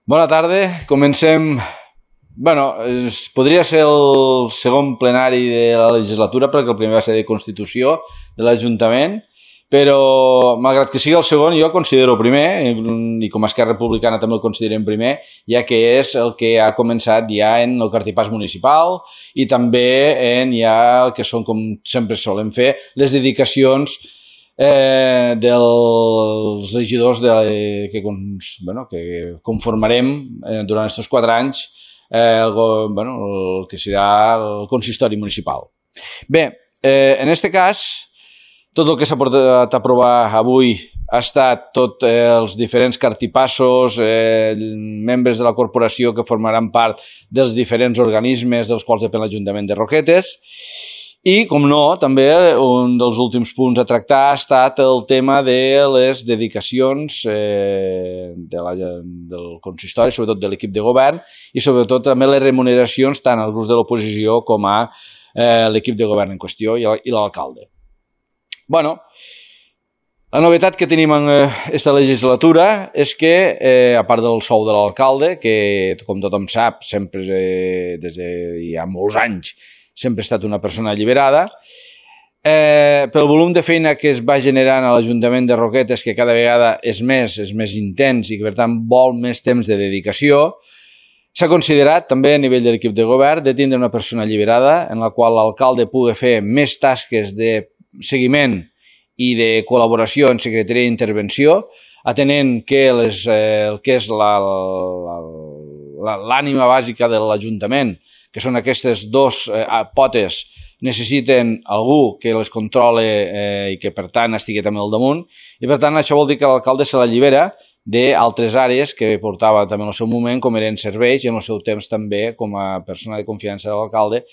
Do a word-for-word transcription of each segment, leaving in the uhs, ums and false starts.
Bona tarda, comencem... Bueno, es, podria ser el segon plenari de la legislatura perquè el primer va ser de Constitució de l'Ajuntament, però malgrat que sigui el segon jo considero primer, i com a Esquerra Republicana també el considerem primer, ja que és el que ha començat ja en el cartipàs municipal i també en ja el que són, com sempre solem fer, les dedicacions Eh, dels regidors de, que, bueno, que conformarem eh, durant aquests quatre anys eh, el, bueno, el que serà el consistori municipal. Bé, eh, en aquest cas, tot el que s'ha portat a aprovar avui ha estat tots eh, els diferents cartipassos, eh, membres de la corporació que formaran part dels diferents organismes dels quals depèn l'Ajuntament de Roquetes. I, com no, també un dels últims punts a tractar ha estat el tema de les dedicacions eh, de la, del consistori, sobretot de l'equip de govern, i sobretot també les remuneracions tant als grups de l'oposició com a eh, l'equip de govern en qüestió i l'alcalde. Bueno, la novetat que tenim en aquesta legislatura és que, eh, a part del sou de l'alcalde, que com tothom sap, sempre eh, des de ja molts anys, sempre ha estat una persona alliberada, eh, pel volum de feina que es va generant a l'Ajuntament de Roquetes, que cada vegada és més, és més intens i que per tant vol més temps de dedicació, s'ha considerat també a nivell de l'equip de govern de tindre una persona alliberada en la qual l'alcalde pugui fer més tasques de seguiment i de col·laboració en secretaria d'intervenció, atenent que les, eh, el que és l'ànima bàsica de l'Ajuntament, que són aquestes dos eh, potes, necessiten algú que les controle eh, i que per tant estigui també al damunt, i per tant això vol dir que l'alcalde se l'allibera d'altres àrees que portava també en el seu moment, com eren serveis, i en el seu temps també com a persona de confiança de l'alcalde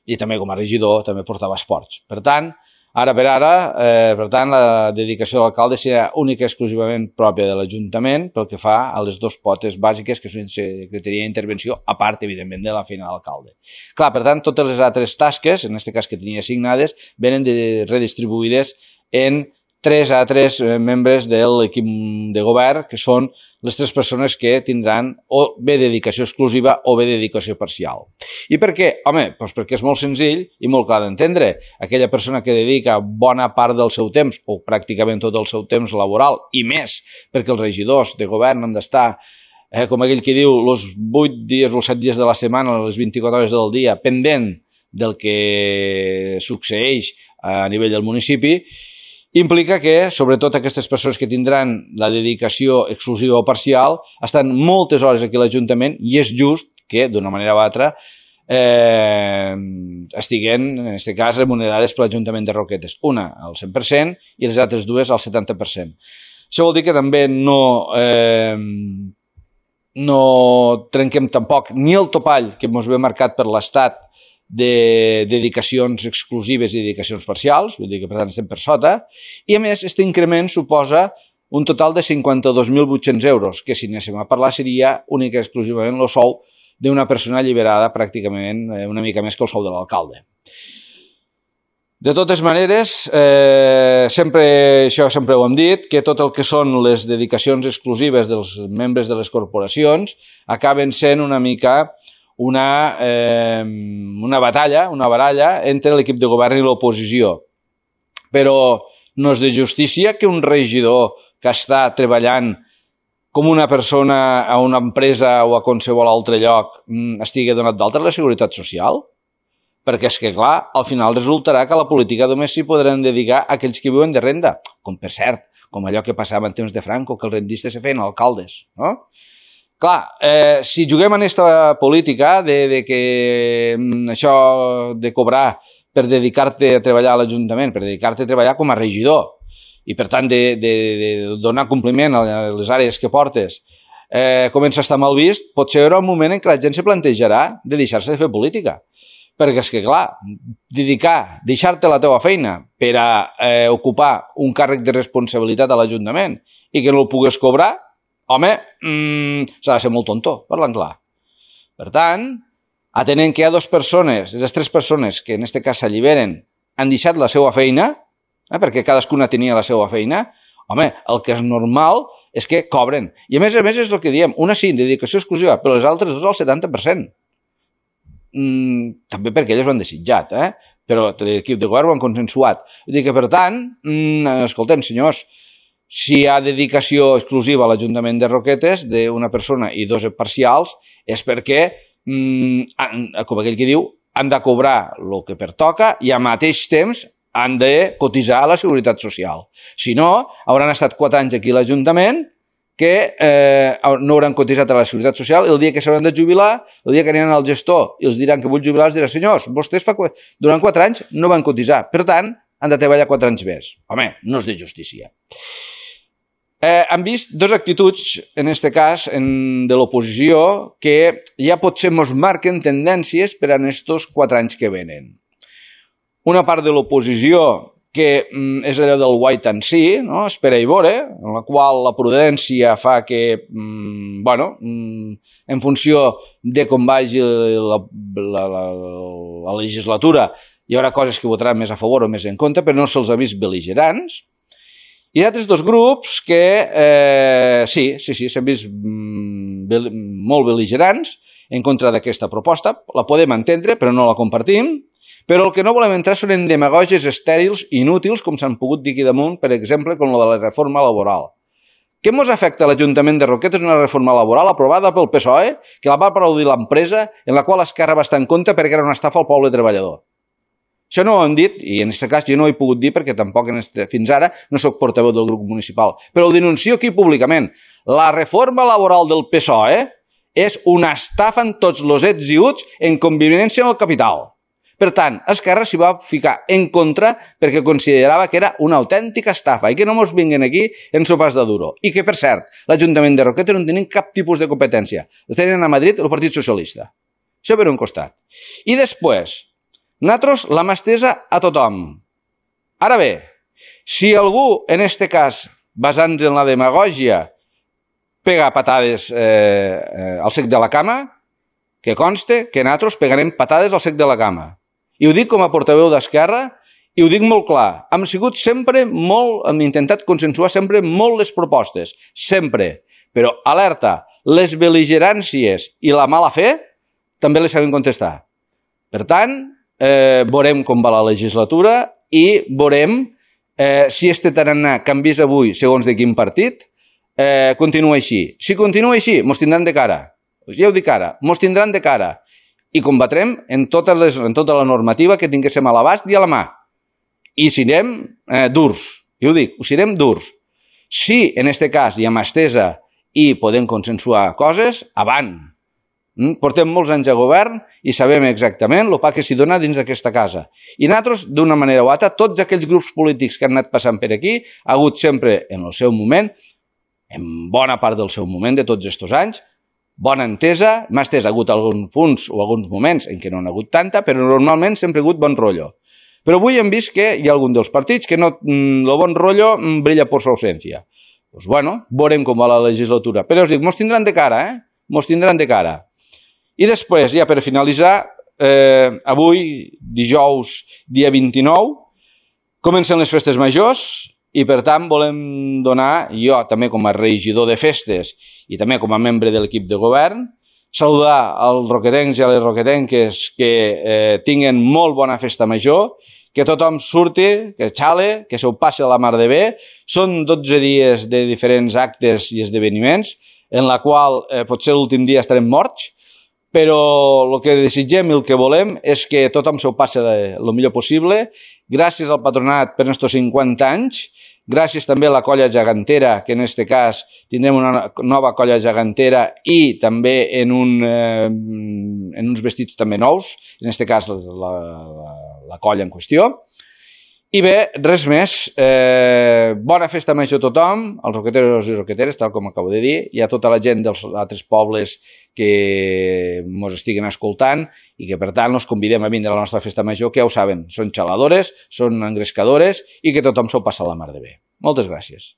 i també com a regidor també portava esports. Per tant, ara per ara, eh, per tant, la dedicació de l'alcalde serà única i exclusivament pròpia de l'Ajuntament pel que fa a les dues potes bàsiques que són secretaria d'intervenció, a part, evidentment, de la feina de l'alcalde. Clar, per tant, totes les altres tasques, en aquest cas que tenia assignades, venen de, redistribuïdes en tres altres membres de l'equip de govern, que són les tres persones que tindran o bé dedicació exclusiva o bé dedicació parcial. I per què? Home, doncs perquè és molt senzill i molt clar d'entendre. Aquella persona que dedica bona part del seu temps, o pràcticament tot el seu temps laboral, i més, perquè els regidors de govern han d'estar, eh, com aquell que diu, els vuit dies o els set dies de la setmana, les vint-i-quatre hores del dia, pendent del que succeeix a nivell del municipi, implica que, sobretot aquestes persones que tindran la dedicació exclusiva o parcial, estan moltes hores aquí a l'Ajuntament i és just que, d'una manera o altra, eh, estiguen, en aquest cas, remunerades per l'Ajuntament de Roquetes. Una al cent per cent i les altres dues al setanta per cent. Això vol dir que també no, eh, no trenquem tampoc ni el topall que ens ve marcat per l'Estat de dedicacions exclusives i dedicacions parcials, vull dir que per tant estem per sota, i a més aquest increment suposa un total de cinquanta-dos mil vuit-cents euros, que si anéssim a parlar seria única i exclusivament el sou d'una persona alliberada pràcticament una mica més que el sou de l'alcalde. De totes maneres, eh, sempre, això sempre ho hem dit, que tot el que són les dedicacions exclusives dels membres de les corporacions acaben sent una mica Una, eh, una batalla, una baralla entre l'equip de govern i l'oposició. Però no és de justícia que un regidor que està treballant com una persona a una empresa o a qualsevol altre lloc estigui donat d'alta a la Seguretat Social? Perquè és que, clar, al final resultarà que a la política només s'hi podran dedicar aquells que viuen de renda. Com, per cert, com allò que passava en temps de Franco, que els rendistes se feien alcaldes, no? Clar, eh, si juguem en aquesta política de, de que això de cobrar per dedicar-te a treballar a l'Ajuntament, per dedicar-te a treballar com a regidor i per tant de, de, de donar compliment a les àrees que portes, eh, comença a estar mal vist, pot ser un moment en què la gent se plantejarà de deixar-se de fer política. Perquè és que, clar, dedicar, deixar-te la teva feina per a eh, ocupar un càrrec de responsabilitat a l'Ajuntament i que no el pugues cobrar, home, mmm, s'ha de ser molt tonto, parlant clar. Per tant, atenent que hi ha dues persones, les tres persones que en aquest cas s'alliberen, han deixat la seva feina, eh, perquè cadascuna tenia la seva feina, Home, el que és normal és que cobren. I a més a més és el que diem, una sí, dedicació exclusiva, però les altres dues al setanta per cent. Mm, també perquè ells ho han desitjat, eh? Però l'equip de govern ho han consensuat. Vull dir que, per tant, mm, escolten, senyors, si hi ha dedicació exclusiva a l'Ajuntament de Roquetes d'una persona i dos parcials, és perquè, mm, com aquell que diu, han de cobrar el que pertoca i al mateix temps han de cotitzar a la Seguretat Social. Si no, hauran estat quatre anys aquí a l'Ajuntament que eh, no hauran cotitzat a la Seguretat Social i el dia que s'hauran de jubilar, el dia que aniran al gestor i els diran que vull jubilar, els dirà, senyors, vostès fa, durant quatre anys no van cotitzar, per tant, han de treballar quatre anys més. Home, no és de justícia. Eh, han vist dues actituds, en aquest cas, en, de l'oposició, que ja potser ens marquen tendències per a aquests quatre anys que venen. Una part de l'oposició que mm, és allò del wait and see, no? Espera i veure, en la qual la prudència fa que, mm, bueno, mm, en funció de com vagi la, la, la, la legislatura, hi haurà coses que votaran més a favor o més en contra, però no se'ls ha vist bel·ligerants. Hi ha altres dos grups que, eh, sí, sí, sí, s'han vist mm, bel, molt bel·ligerants en contra d'aquesta proposta. La podem entendre, però no la compartim. Però el que no volem entrar són en demagògies estèrils i inútils, com s'han pogut dir aquí damunt, per exemple, com la de la reforma laboral. Què ens afecta a l'Ajuntament de Roquetes una reforma laboral aprovada pel P S O E, que la va aplaudir l'empresa, en la qual Esquerra va estar en contra perquè era una estafa al poble treballador? Això no ho hem dit, i en aquest cas jo no ho he pogut dir perquè tampoc este, fins ara no soc portaveu del grup municipal, però ho denuncio aquí públicament. La reforma laboral del P S O E és una estafa en tots els ets i uts en convivència amb el capital. Per tant, Esquerra s'hi va ficar en contra perquè considerava que era una autèntica estafa i que no ens vinguin aquí en sopars de duro. I que, per cert, l'Ajuntament de Roquetes no tenen cap tipus de competència. Els tenen a Madrid el Partit Socialista. Això per un costat. I després, nosaltres la mà estesa a tothom. Ara bé, si algú, en este cas, basant-se en la demagògia, pega patades eh, eh, al sec de la cama, que conste que nosaltres pegarem patades al sec de la cama. I ho dic com a portaveu d'Esquerra i ho dic molt clar. Hem sigut sempre molt, hem intentat consensuar sempre molt les propostes, sempre. Però, alerta, les bel·ligeràncies i la mala fe també les sabem contestar. Per tant, eh, veurem com va la legislatura i veurem eh, si este tarannà canvies avui segons de quin partit, eh, continua així. Si continua així, mos tindran de cara. Ja ho dic ara, mos tindran de cara. I combatrem en, totes les, en tota la normativa que tinguéssim a l'abast i a la mà. I serem eh, durs. Jo ho dic, ho serem durs. Si, en aquest cas, hi ha mà estesa i podem consensuar coses, avant. Mm? Portem molts anys a govern i sabem exactament el pa que s'hi dona dins d'aquesta casa. I nosaltres, d'una manera o altra, tots aquells grups polítics que han anat passant per aquí, ha hagut sempre, en el seu moment, en bona part del seu moment de tots aquests anys, bona entesa, m'ha estès, ha hagut alguns punts o alguns moments en què no n'ha hagut tanta, però normalment sempre ha hagut bon rotllo. Però avui hem vist que hi ha algun dels partits que no, el bon rotllo brilla per su ausència. Doncs bueno, veurem com va la legislatura. Però us dic, mos tindran de cara, eh? Mos tindran de cara. I després, ja per finalitzar, eh, avui, dijous, dia vint-i-nou, comencen les festes majors, i per tant volem donar, jo també com a regidor de festes i també com a membre de l'equip de govern, saludar als roquetencs i a les roquetenques que eh, tinguen molt bona festa major, que tothom surti, que xale, que se ho passi a la mar de bé. Són dotze dies de diferents actes i esdeveniments, en la qual eh, potser l'últim dia estarem morts, però el que desitgem i el que volem és que tothom se ho passi el millor possible. Gràcies al patronat per estos cinquanta anys, gràcies també a la colla gegantera, que en aquest cas tindrem una nova colla gegantera i també en, un, eh, en uns vestits també nous, en aquest cas la, la, la colla en qüestió. I bé, res més, eh, bona festa major a tothom, als roqueteros i roqueteres, tal com acabo de dir, i a tota la gent dels altres pobles que ens estiguen escoltant i que per tant els convidem a vindre a la nostra festa major, que ja ho saben, són xaladores, són engrescadores i que tothom se'l passa a la mar de bé. Moltes gràcies.